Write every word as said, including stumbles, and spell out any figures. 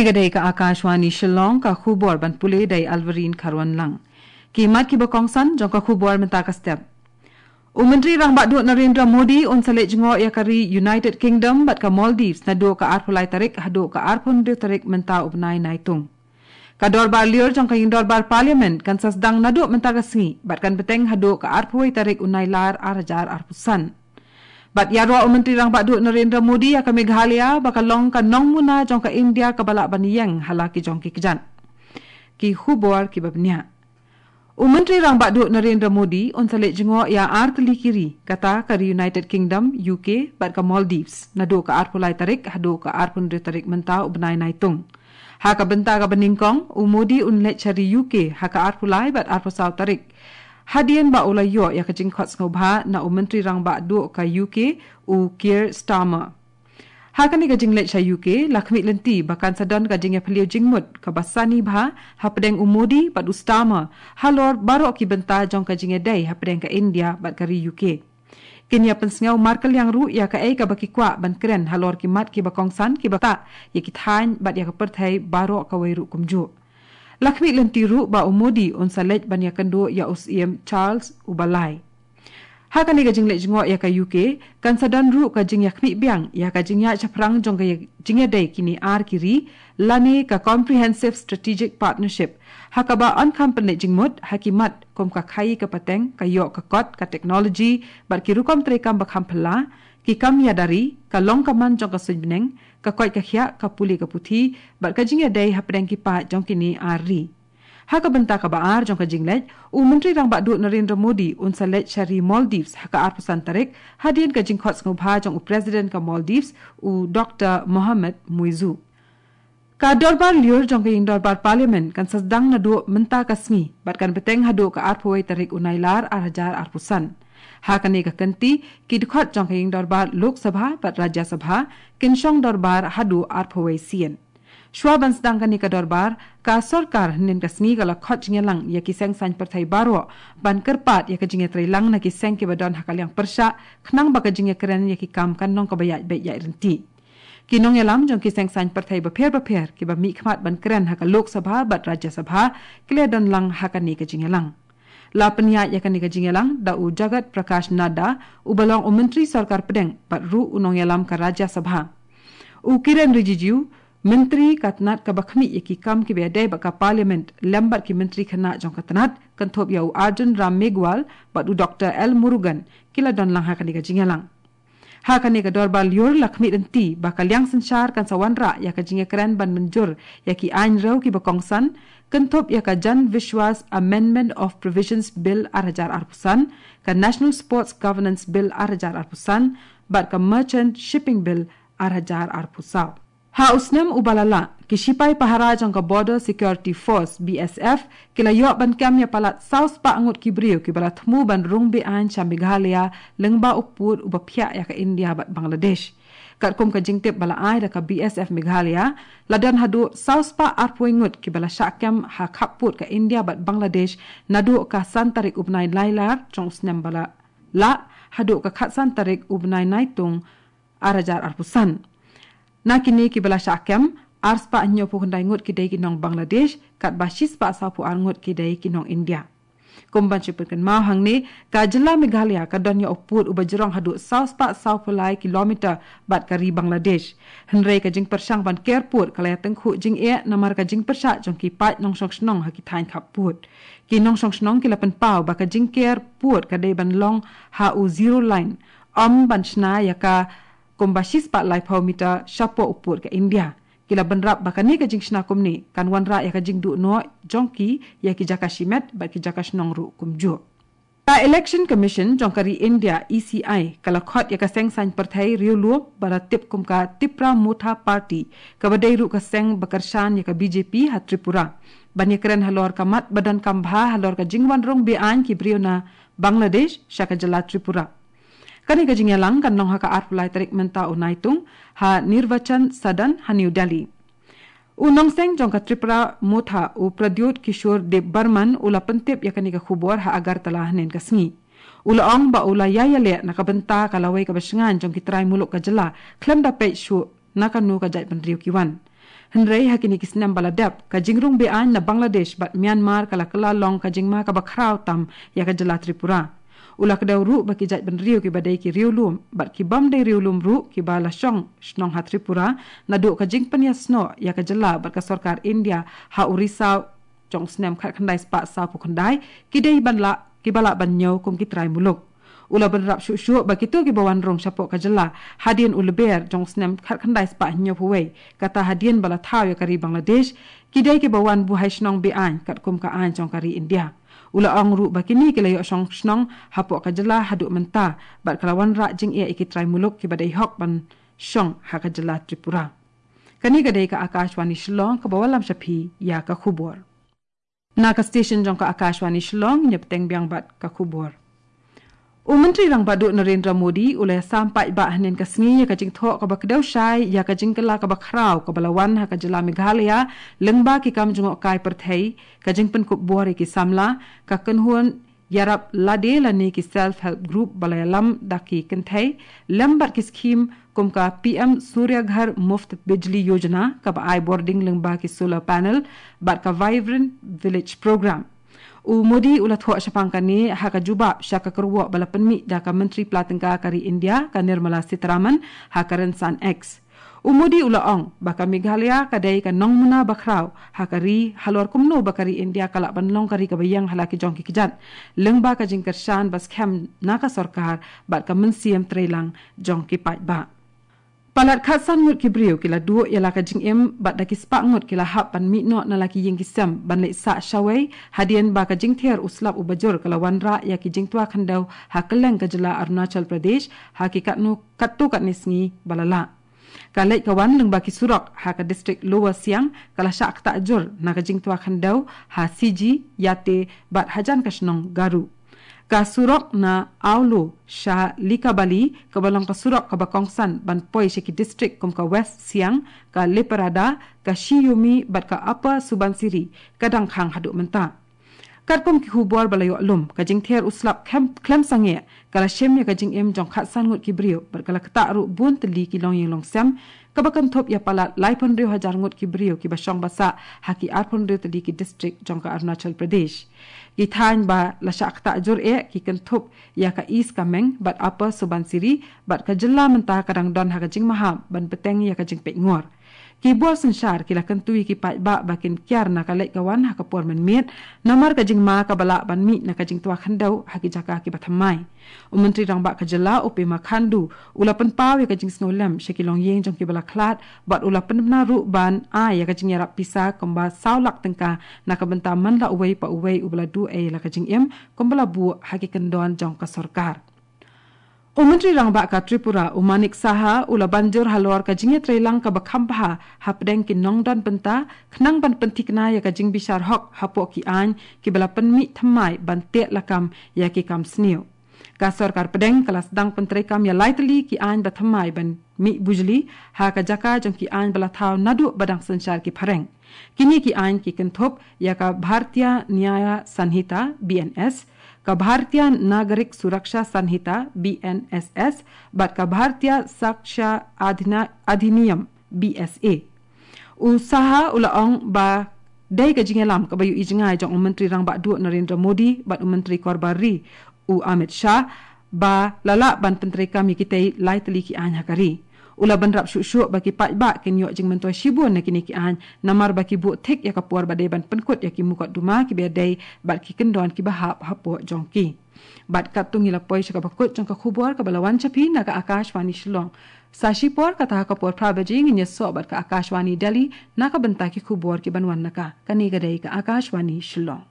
Ka dei ka Akashvani Shillong, ka khubor ban pule da i Alvarin Kharwanlang. Ki mat kiba kongsan jong ka khubor mynta ka step. U Myntri Rangbah Duh Narendra Modi un sa leit jngoh ïa ka ri United Kingdom bad ka Maldives naduh ka arphew lai tarik haduh ka arphew hynriew tarik mynta u bnai Naitung. Ka dorbar lyiur jong ka ïing dorbar Parliament kan sa sdang naduh mynta ka sngi bad kan bteng haduh ka arphew wei tarik u Nailar ar hajar arphew san. Bad ïaroh u Myntri Rangbah Duh Narendra Modi ïa ka Meghalaya ba ka long ka nongmuna jong ka India kaba lah ban ïeng ha la ki jong ki kjat. Ki khubor kiba bniah. U Myntri Rangbah Duh Narendra Modi un sa leit jngoh ïa ar tylli ki ri, kata ka ri United Kingdom, U K, bad ka Maldives naduh ka arphew lai tarik haduh ka arphew hynriew tarik mynta u bnai Naitung. Ha ka bynta kaba nyngkong, u Modi un leit sha ri U K ha ka arphew lai bad arphew saw tarik, hadien ba u la ïoh ïa ka jingkhot sngewbha na u Myntri Rangbah Duh ka U K, u Keir Starmer. Ha kane ka jingleit sha U K, la khmih lynti ba kan sa don ka jingïaphylliew jingmut kaba sani bha hapdeng u Modi bad u Starmer halor baroh ki bynta jong ka jingïadei hapdeng ka India bad ka ri U K. Kin ïa pynsngew markylliang ruh ïa kaei kaba ki kwah ban kren halor ki mat kiba kongsan kiba ktah ïa ki thaiñ bad ïa ka pyrthei baroh kawei ruh kumjuh. La khmih lynti ruh ba u Modi un sa leit ban ïakynduh ïa u Syiem Charles uba lai. Ha kane ka jingleit jngoh ïa ka U K, kan sa don ruh ka jingïakhmih biang ïa ka jingïaid shaphrang jong ka jingïadei kine ar ki ri, lane ka Comprehensive Strategic Partnership, ha kaba yn kham pynleit jingmut ha ki mat kum ka khaïi ka pateng, ka ïoh ka kot, ka technology bad ki rukom treikam ba kham phylla, ki kam ïada ri, ka long ka man jong ka suiñ bneng, ka koit ka khiah, ka pule ka puthi bad ka jingïadei hapdeng ki paid jong kine ar ri. Ha ka bynta kaba ar jong ka jingleit, u Myntri Rangbah Duh Narendra Modi un sa leit sha ri Maldives ha ka arphew san tarik, hadien ka jingkhot sngewbha jong u President ka Maldives, u Doktor Mohamed Muizzu. Ka dorbar lyiur jong ka ïing dorbar Parliament kan sa sdang naduh mynta ka sngi bad kan bteng haduh ka arphew wei tarik u Nailar ar hajar arphew san. Ha kane ka kynti, ki dkhot jong ka ïing dorbar Lok Sabha bad Rajya Sabha kin shong dorbar haduh arphew wei sien. Shuwa ban sdang kane ka dorbar, ka sorkar hynnin ka sngi ka la khot jingïalang ïa ki seng saiñ pyrthei baroh ban kyrpad ïa ka jingïatreilang na ki seng kiba don ha ka liang pyrshah, khnang ba ka jingïakren ïa ki kam kan long kaba ïaid beit ïaid ryntih. Ki nongïalam jong ki seng saiñ pyrthei bapher bapher kiba mihkhmat ban kren ha ka Lok Sabha bad Rajya Sabha ki la don lang ha kane ka jingïalang. La pynïaid ïa kane ka jingïalang da u Jagat Prakash Nadda, uba long u Myntri Sorkar Pdeng bad ruh u nongïalam ka Rajya Sabha. U Kiren Rijiju, Myntri ka tnat kaba khmih ïa ki kam kiba ïadei bad ka Parliament, lem bad ki Myntri khynnah jong ka tnat, kynthup ïa u Arjun Ram Meghwal bad u Doktor L Murugan, ki la don lang ha kane ka jingïalang. Ha kane ka dorbar lyiur la khmih lynti ba ka liang synshar kan sa wanrah ïa ka jingïakren ban mynjur ïa ki aiñ rew kiba kongsan, kynthup ïa ka Jan Vishwas Amendment of Provisions Bill ar hajar arphew san, ka National Sports Governance Bill ar hajar arphew san bad ka Merchant Shipping Bill ar hajar arphew saw. Ha u snem uba la lah, ki shipai pahara jong ka Border Security Force, B S F, ki la ïoh ban kem ïa palat saw spah ngut ki briew kiba la thmu ban rung be-aiñ sha Meghalaya lyngba u pud uba phiah ïa ka India bad Bangladesh. Katkum ka jingtip ba la ai da ka B S F Meghalaya, la don haduh saw spah arphew ngut kiba la shah kem ha khappud ka India bad Bangladesh naduh ka san tarik u bnai Nailar jong u snem ba la lah haduh ka khatsan tarik u bnai Naitung ar hajar arphew san. Na kine kiba la shah kem, ar spah hynñiewphew khyndai ngut ki dei ki nong Bangladesh, katba shi spah sawphew ar ngut ki dei ki nong India. Kum ban shu pynkynmaw hangne, ka jylla Meghalaya ka don ïa u pud uba jrong haduh saw spah sawphew lai kilometer bad ka ri Bangladesh. Hynrei ka jingpyrshang ban ker pud ka la ïatyngkhuh jingeh namar ka jingpyrshah jong ki paid nongshong shnong ha ki thaiñ khappud. Ki nongshong shnong ki la pynpaw ba ka jingker pud ka dei ban long ha u zero line, ym ban shna ïa ka kumba shi spah laiphew meter shapoh u pud ka India. Ki la bynrap ba kane ka jingshna kumne kan wanrah ïa ka jingduh noh jong ki ïa ki jaka shimet bad ki jaka shnong ruh kumjuh. Ka Election Commission jong ka ri India, E C I, ka la khot ïa ka seng saiñ pyrthei riewlum ba la tip kum ka Tipra Motha Party, kaba dei ruh ka seng ba kyrshan ïa ka B J P ha Tripura, ban ïakren halor ka mat ba donkam bha halor ka jingwan rung be-aiñ ki briew na Bangladesh sha ka jylla Tripura. Kane ka jingïalang kan long ha ka arphew lai tarik mynta u Naitung, ha Nirvachan Sadan ha New Delhi. U nongseng jong ka Tipra Motha, u Pradyot Kishore Debbarman, u la pyntip ïa kane ka khubor ha Agartala hynnin ka sngi. U la ong ba u la ïai ïaleh na ka bynta ka lawei kaba shngaiñ jong ki trai muluk ka jylla, khlem da peit shuh na kano ka jaitbynriew ki wan. Hynrei ha kine ki snem ba la dep, ka jingrung be-aiñ na Bangladesh bad Myanmar ka la kylla long ka jingma kaba khraw tam ïa ka jylla Tripura. U la kdew ruh ba ki jaitbynriew kiba dei ki riewlum bad ki bym dei riewlum ruh kiba la shong shnong ha Tripura, naduh ka jingpynïasnoh ïa ka jylla bad ka sorkar India ha u Risaw jong u snem khatkhyndai spah sawphew khyndai, ki dei ban lah, kiba lah ban ñiew kum ki trai muluk. U la bynrap shuh shuh ba kito kiba wan rung shapoh ka jylla hadien u Lber jong u snem khatkhyndai spah hynñiewphew wei, kata hadien ba la thaw ïa ka ri Bangladesh, ki dei kiba wan buhai shnong be-aiñ katkum ka aiñ jong ka ri India. U la ong ruh ba kine ki la ïoh shong shnong hapoh ka jylla haduh mynta, bad ka la wanrah jingeh ïa ki trai muluk kiba dei hok ban shong ha ka jylla Tripura. Kane ka dei ka Akashvani Shillong kaba wallam sha phi ïa ka khubor. Na ka station jong ka Akashvani Shillong, ngin ïa bteng biang bad ka khubor. U Myntri Rangbah Duh Narendra Modi u la ïasam paidbah hynnin ka sngi ïa ka jingthoh kaba kdew shai ïa ka jingkylla kaba khraw kaba la wan ha ka jylla Meghalaya lyngba ki kam jngohkai pyrthei, ka jingpynkup bor ïa ki samla, ka kynhun ïarap lade lane ki self help group ba la ïalam da ki kynthei, lem bad ki skhim kum ka P M Surya Ghar Muft Bijli Yojana kaba ai bording lyngba ki solar panel bad ka Vibrant Village Program. U Modi u la thoh shaphang kane ha ka jubab sha ka kyrwoh ba la pynmih da ka Myntri Pla Tyngka ka ri India ka Nirmala Sitharaman ha ka rynsan X. U Modi u la ong ba ka Meghalaya ka dei ka nongmuna ba khraw ha ka ri halor kumno ba ka ri India ka lah ban long ka ri kaba ïeng ha la ki jong ki kjat, lyngba ka jingkyrshan ba skhem na ka sorkar bad ka mynsiem treilang jong ki paidbah. Palat khatsan ngut ki briew ki la duh ïa la ka jingim bad da ki spah ngut ki la hap ban mih noh na la ki ïing ki sem ban leit sah shawei, hadien ba ka jingther u slap uba jur ka la wanrah ïa ki jingtwa khyndew ha kylleng ka jylla Arunachal Pradesh ha ki katno katto katne sngi ba la lah. Ka leit ka wan lyngba ki surok ha ka distrik Lower Siang ka la shah ktah jur na ka jingtwa khyndew ha Sigi, Yate bad hajan ka shnong Garu. Ka surok na Aolo sha Likabali kaba long ka surok kaba kongsan ban poi sha ki distrik kum ka West Siang, ka Leparada, ka Shiyumi bad ka Upper Subansiri ka dang khang haduh mynta. Katkum ki khubor ba la ïoh lum, ka jingther u slap khlem, khlem sangeh ka la shim ïa ka jingim jong khatsan ngut ki briew bad ka la ktah ruh bun tylli ki longïing longsem, kaba kynthup ïa palat laiphew hynriew hajar ngut ki briew kiba shong ba sah ha ki arphew hynriew tylli ki distrik jong ka Arunachal Pradesh. Ki thaiñ ba la shah ktah jur eh ki kynthup ïa ka East Kameng bad Upper Subansiri bad ka jylla mynta ka dang don ha ka jingmaham ban bteng ïa ka jingpeitngor. Ki bor synshar ki la kyntu ïa ki paidbah ba kin kiar na ka leit ka wan ha ka por mynmiet, namar ka jingma kaba lah ban mih na ka jingtwa khyndew ha ki jaka kiba thymmai. U Myntri Rangbah ka jylla u Pema Khandu u la pynpaw ïa ka jingsngewlem sha ki longïing jong kiba la khlad bad u la pynbna ruh ban ai ïa ka jingïarap pisa kumba saw lak tyngka na ka bynta man la uwei pa uwei uba la duh ei la ka jingim kumba la buh ha ki kyndon jong ka sorkar. U Myntri Rangbah ka Tripura u Manik Saha u la ban jur halor ka jingïatreilang kaba kham bha hapdeng ki nongdon bynta khnang ban pynthikna ïa ka jingbishar hok hapoh ki aiñ kiba la pynmih thymmai ban teh lakam ïa ki kam sniew. Ka sorkar pdeng ka la sdang pyntreikam ïa lai tylli ki aiñ ba thymmai ban mih bujli ha ka jaka jong ki aiñ ba la thaw naduh ba dang synshar ki phareng. Kine ki aiñ ki kynthup ïa ka Bharatiya Nyaya Sanhita, B N S, ka Bharatiya Nagarik Suraksha Sanhita, B N S S, bad ka Bharatiya Sakshya Adhina-, Adhiniyam, B S A. U Saha u la ong ba dei ka jingïalam kaba ïohi jngai jong u Myntri Rangbah Duh Narendra Modi bad u Myntri Korbar Ri u Amit Shah ba la lah ban pyntreikam ïa kitei lai tylli ki aiñ ha ka ri. U la bynrap shuh shuh ba ki paidbah kin ïoh jingmyntoi shibun na kine ki aiñ, namar ba ki buh thik ïa ka por ba dei ban pynkut ïa ki mukotduma kiba dei bad ki kyndon kiba hap hapoh jong ki. Bad katto ngi la poi sha kaba kut jong ka khubor kaba la wan sha phi na ka Akashvani Shillong. Sa shipor kata ha ka por phra baje ngin ïasoh bad ka Akashvani Delhi na ka bynta ki khubor kiban wan na ka. Kane ka dei ka Akashvani Shillong.